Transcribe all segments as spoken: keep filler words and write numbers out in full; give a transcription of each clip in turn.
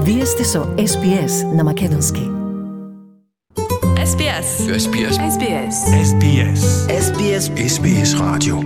Вие сте со Ес Би Ес на македонски. Ес Би Ес. Ес Би Ес. Ес Би Ес. Ес Би Ес. Ес Би Ес. Ес Би Ес радио.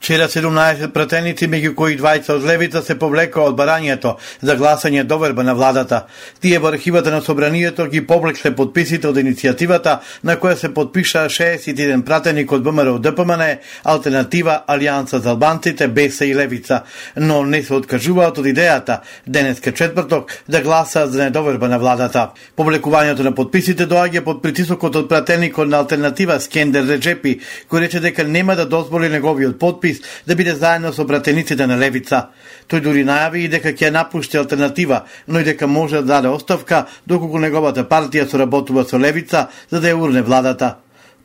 Вчера седумнаесет пратеници, меѓу кои двајца од левица, се повлекоа од барањето за гласање доверба на владата. Тие во архивата на собранието ги повлекле подписите од иницијативата на која се подпишаа шеесет и еден пратеник од Б М Р Д П М Н, Алтернатива, Алијанса за албанците, Беса и Левица, но не се откажуваат од идејата денеска четврток да гласаат за недоверба на владата. Повлекувањето на подписите доаѓа под притисокот од пратеникот на Алтернатива Скендер Реджепи, кој рече дека нема да дозволи неговиот подпис да биде заедно со пратениците на Левица. Тој дури најави и дека ќе напушти Алтернатива, но и дека може да даде оставка доколку неговата партија соработува со Левица за да ја урне владата.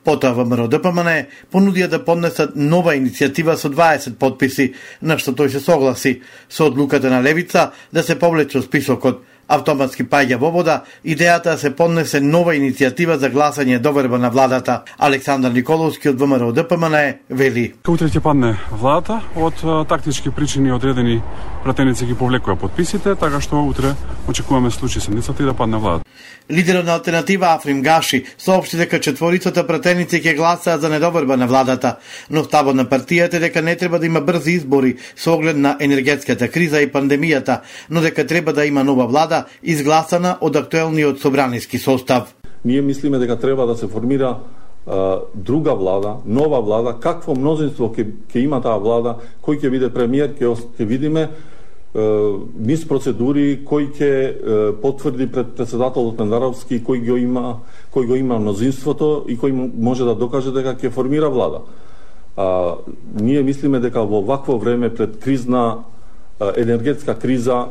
Потоа Б М Р Д П М Н понудија да поднесат нова иницијатива со дваесет подписи, на што тој се согласи со одлуката на Левица да се повлече од списокот. Автоматски паѓа во вода идејата да се поднесе нова иницијатива за гласање доверба на владата. Александар Николовски од Б М Р Д П М Н вели: Утре ќе падне владата, од тактички причини одредени пратеници ги повлекува подписите, така што утре очекуваме случај седмицата и да падне владата. Лидерот на Алтернатива Африм Гаши соопшти дека четворицата пратеници ќе гласаат за недоверба на владата, но ставот на партијата е дека не треба да има брзи избори со оглед на енергетската криза и пандемијата, но дека треба да има нова влада изгласана од актуелниот собраниски состав. Ние мислиме дека треба да се формира а, друга влада, нова влада, какво мнозинство ќе ќе има таа влада, кој ќе биде премиер, ќе ќе видиме низ процедури, кој ќе потврди пред председателот Мендаровски, кој го има, кој го има мнозинството и кој може да докаже дека ќе формира влада. А, ние мислиме дека во вакво време пред кризна енергетска криза,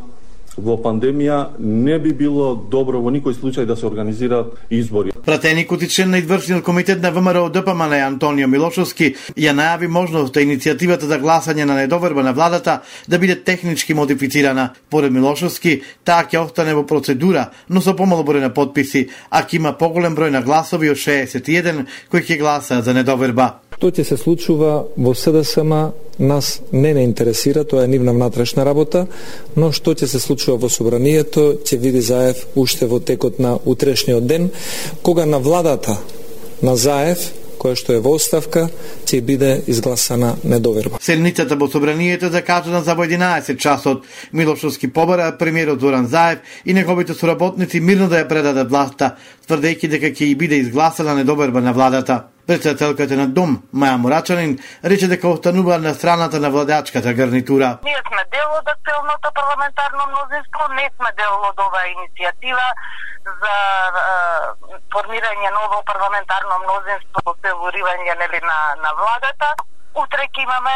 во пандемија, не би било добро во никој случај да се организираат избори. Пратеникот и член на извршниот комитет на В М Р Д П М Н Антонио Милошовски ја најави можноста иницијативата за гласање на недоверба на владата да биде технички модифицирана. Поред Милошовски, таа ќе остане во процедура, но со помало број на подписи, а ќе има поголем број на гласови од шеесет и еден кои ќе гласаат за недоверба. Што ќе се случува во С Д С М нас не не интересира, тоа е нивна внатрешна работа, но што ќе се случува во собранието ќе види Заев уште во текот на утрешниот ден, кога на владата на Заев, која што е во оставка, ќе биде изгласана недоверба. Седницата во собранието е закажана за во единаесет часот. Милошовски побара премиерот Зоран Заев и неговите соработници мирно да ја предадат власта, тврдејќи дека ќе и биде изгласана недоверба на владата. Председателката на Дом, Маја Мурачанин, рече дека останува на страната на владачката гарнитура. Ние сме дел од актуелното парламентарно мнозинство, не сме дел од оваа иницијатива за е, формирање ново парламентарно мнозинство во фаворирање нели на на владата. Утре ќе имаме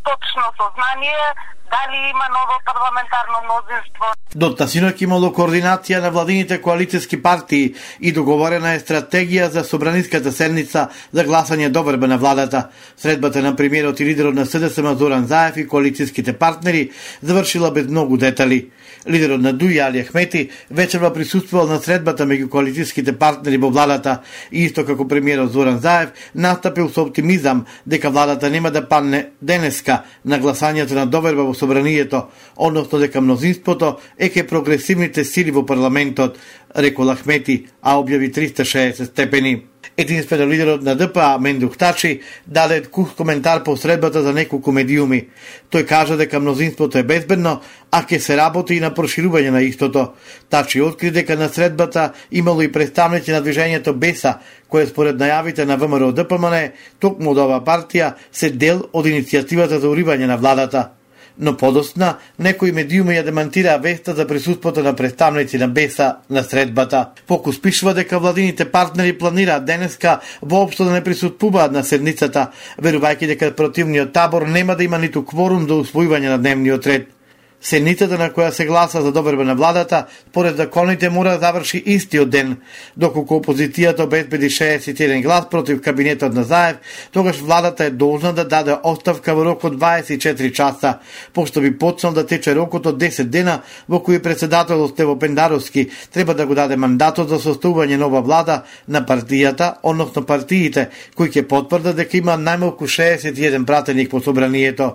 точно сознание дали има ново парламентарно мнозинство. До тасинок имало координација на владините коалицијски партии и договорена е стратегија за собраниската седница за гласање доверба на владата. Средбата на премиерот и лидерот на С Д С М Зоран Заев и коалицијските партнери завршила без многу детали. Лидерот на Дуи Али Ахмети вечерва присуствувал на средбата меѓу коалицијските партнери во владата и исто како премиерот Зоран Заев настапил со оптимизам дека владата нема да падне денеска на гласањето на доверба во собранието, односно дека мнозинството е ке прогресивните сили во парламентот, рекол Ахмети, а објави триста и шеесет степени. Единствено лидерот на Д П А Мендух Тачи даде кух коментар по средбата за неколку медиуми. Тој кажа дека мнозинството е безбедно, а ќе се работи и на проширување на истото. Тачи откри дека на средбата имало и представници на движењето Беса, кое според најавите на В М Р Д П М Н, токму од оваа партија се дел од иницијативата за уривање на владата. Но подосна, некои медиуми ја демантираа веста за присуството на представници на Беса на средбата. Фокус пишува дека владините партнери планираат денеска воопшто да не присуствуваат на седницата, верувајќи дека противниот табор нема да има ниту кворум за усвојување на дневниот ред. Седницата на која се гласа за доверба на владата, според законите мора да заврши истиот ден. Доколку опозицијата обезбеди шеесет и еден глас против кабинетот на Заев, тогаш владата е должна да даде оставка во рок од дваесет и четири часа, пошто би почнал да тече рокот од десет дена во кој председателот Стево Пендаровски треба да го даде мандатот за составување нова влада на партијата, односно партиите, кои ќе потврдат дека има најмалку шеесет и еден пратеник по собранието.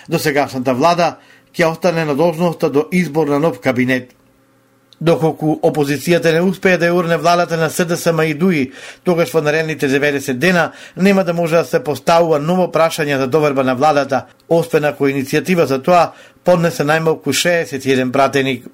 Досегашната влада ќе остане на должноста до избор на нов кабинет. Доколку опозицијата не успее да ја урне владата на СДСМ и ДУИ, тогаш во наредните деветдесет дена нема да може да се поставува ново прашање за доверба на владата, освен ако иницијатива за тоа поднесе најмалку шеесет и еден пратеник.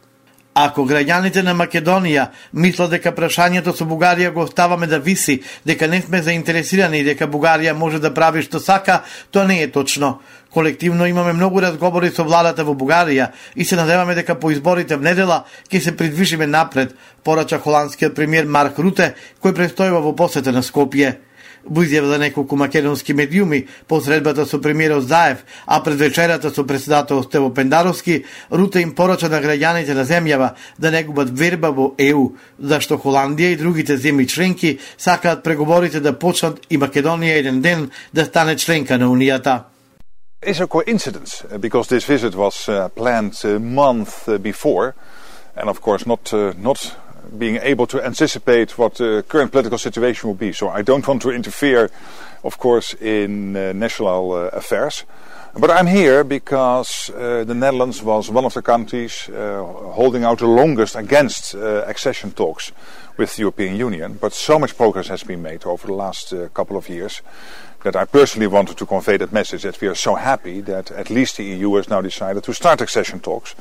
Ако граѓаните на Македонија мислат дека прашањето со Бугарија го оставаме да виси, дека не сме заинтересирани и дека Бугарија може да прави што сака, тоа не е точно. Колективно имаме многу разговори со владата во Бугарија и се надеваме дека по изборите в недела ќе се придвижиме напред, порача холандскиот премиер Марк Руте, кој престојува во посета на Скопје. Во изјава за неколку македонски медиуми, по средбата со премиерот Заев, а пред вечерата со председател Стево Пендаровски, Руте им порача на граѓаните на земјава да не губат верба во Е У, зашто Холандија и другите земји членки сакаат преговорите да почнат и Македонија еден ден да стане членка на Унијата. Is a coincidence because this visit was uh, planned a month uh, before, and of course not uh, not being able to anticipate what the current political situation will be. So I don't want to interfere, of course, in uh, national uh, affairs. But I'm here because uh, the Netherlands was one of the countries uh, holding out the longest against uh, accession talks with the European Union. But so much progress has been made over the last uh, couple of years that I personally wanted to convey that message, that we are so happy that at least the E U has now decided to start accession talks.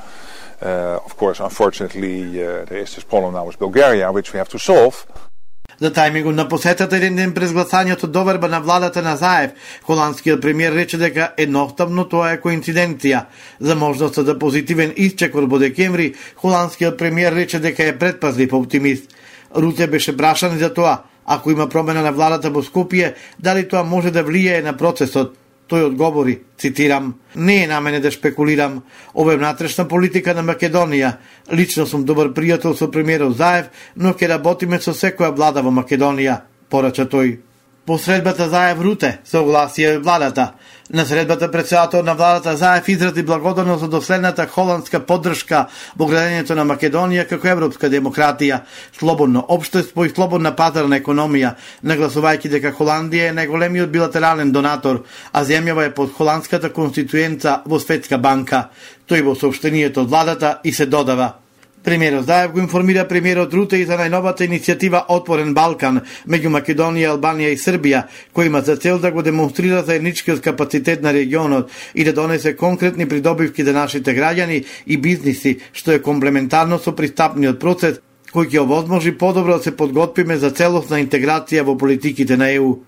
Uh, of course, unfortunately, uh, there is this problem now with Bulgaria, which we have to solve. За тајмингот на посетата еден ден през гласањето доверба на владата на Заев, холандскиот премиер рече дека едноставно тоа е коинциденција. За можноста за позитивен исчекор во декември, холандскиот премиер рече дека е предпазлив оптимист. Руте беше прашан за тоа, ако има промена на владата во Скопје, дали тоа може да влијае на процесот. Тој одговори, цитирам: "Не е на мене да шпекулирам. Ова е внатрешна политика на Македонија. Лично сум добар пријател со премиерот Заев, но ќе работиме со секоја влада во Македонија", порача тој. По средбата Заев-Руте се огласија владата. На средбата председател на владата Заев изрази благодарност за доследната холандска поддршка во градењето на Македонија како европска демократија, слободно општество и слободна пазарна економија, нагласувајќи дека Холандија е најголемиот билатерален донатор, а земјава е под холандската конституенца во Светска банка. Тој во соопштението од владата и се додава: Премиерот Заев го информира премиерот Руте и за најновата иницијатива Отворен Балкан меѓу Македонија, Албанија и Србија, кој има за цел да го демонстрира заедничкиот капацитет на регионот и да донесе конкретни придобивки за нашите граѓани и бизниси, што е комплементарно со пристапниот процес кој ќе овозможи подобро да се подготвиме за целосна интеграција во политиките на Е У.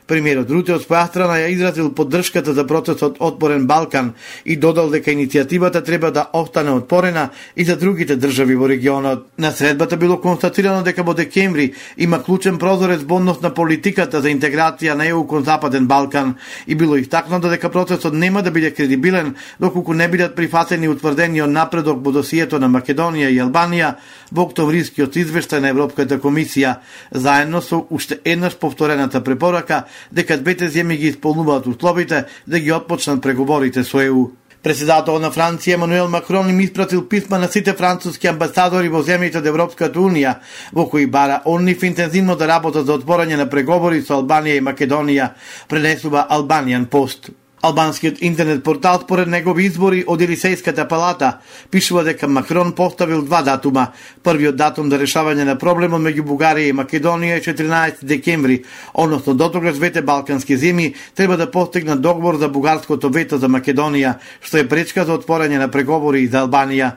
Премиерот Руте од своја страна ја изразил поддршката за процесот Отворен Балкан и додал дека иницијативата треба да остане отворена и за другите држави во регионот. На средбата било констатирано дека во декември има клучен прозорец во однос на политиката за интеграција на Е У кон Западен Балкан и било истакнато дека процесот нема да биде кредибилен доколку не бидат прифатени утврдениот напредок во досието на Македонија и Албанија во октомврискиот извештај на Европската комисија, заедно со уште еднаш повторената препорака дека двете земји ги исполнуваат условите да ги отпочнат преговорите со Е У. Председател на Франција Емануел Макрон им испратил писма на сите француски амбасадори во земјите од Европската Унија, во кои бара он нив интензивно да работат за отворање на преговори со Албанија и Македонија, пренесува Albanian Post. Албанскиот интернет портал според негови избори од Елисејската палата пишува дека Макрон поставил два датума. Првиот датум за решавање на проблемот меѓу Бугарија и Македонија е четиринаесети декември, односно дотогаш двете балкански земји треба да постигнат договор за бугарското вето за Македонија, што е пречка за отворање на преговори и за Албанија.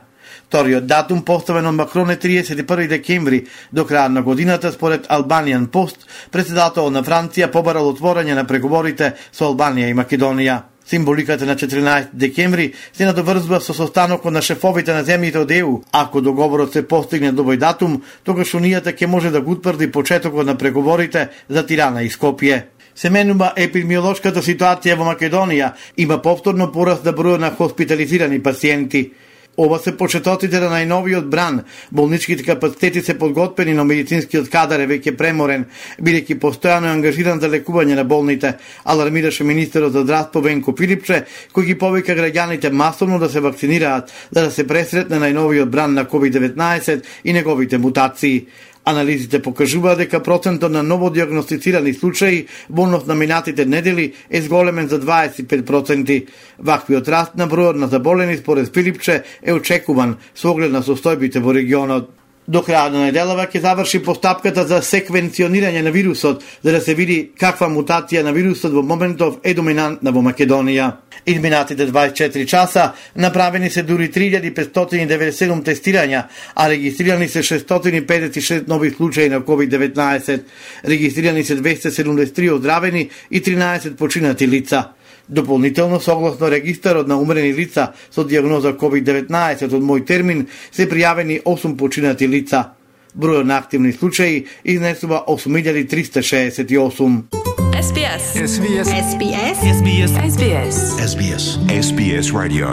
Вториот датум поставен од Макрон е триесет и први декември. До крајот на годината, според Albanian Post, председател на Франција побарал отворање на преговорите со Албанија и Македонија. Символиката на четиринаесети декември се надоврзува со состанокот на шефовите на земјите од Е У. Ако договорот се постигне до овој датум, тогаш Унијата ќе може да го утврди почетокот на преговорите за Тирана и Скопје. Се менува епидемиолошката ситуација во Македонија, има повторно пораст на бројот на хоспитализирани пациенти. Ова се почетоците на најновиот бран. Болничките капацитети се подготвени, но медицинскиот кадар е веќе преморен, бидејќи постојано е ангажиран за лекување на болните, алармираше министерот за здравство Венко Филипче, кој ги повика граѓаните масовно да се вакцинираат, за да се пресретне најновиот бран на ковид деветнаесет и неговите мутации. Анализите покажуваат дека процентот на новодиагностицирани случаи во однос на минатите недели е зголемен за дваесет и пет проценти. Ваквиот раст на бројот на заболени според Филипче е очекуван со оглед на состојбите во регионот. До крајот на неделава ќе заврши постапката за секвенционирање на вирусот, за да се види каква мутација на вирусот во моментов е доминантна во Македонија. Изминатите дваесет и четири часа направени се дури три илјади петстотини и деветдесет и седум тестирања, а регистрирани се шестстотини педесет и шест нови случаи на ковид деветнаесет. Регистрирани се двесте седумдесет и три оздравени и тринаесет починати лица. Дополнително, согласно регистарот на умрени лица со дијагноза ковид деветнаесет од мој термин, се пријавени осум починати лица. Бројот на активни случаи изнесува осум илјади триста шеесет и осум. S B S. S B S. S B S. S B S. S B S. S B S. S B S Radio.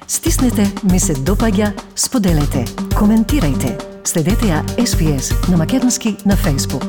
Стиснете, ми се допаѓа, споделете, коментирајте. Следете ја S B S на македонски на Facebook.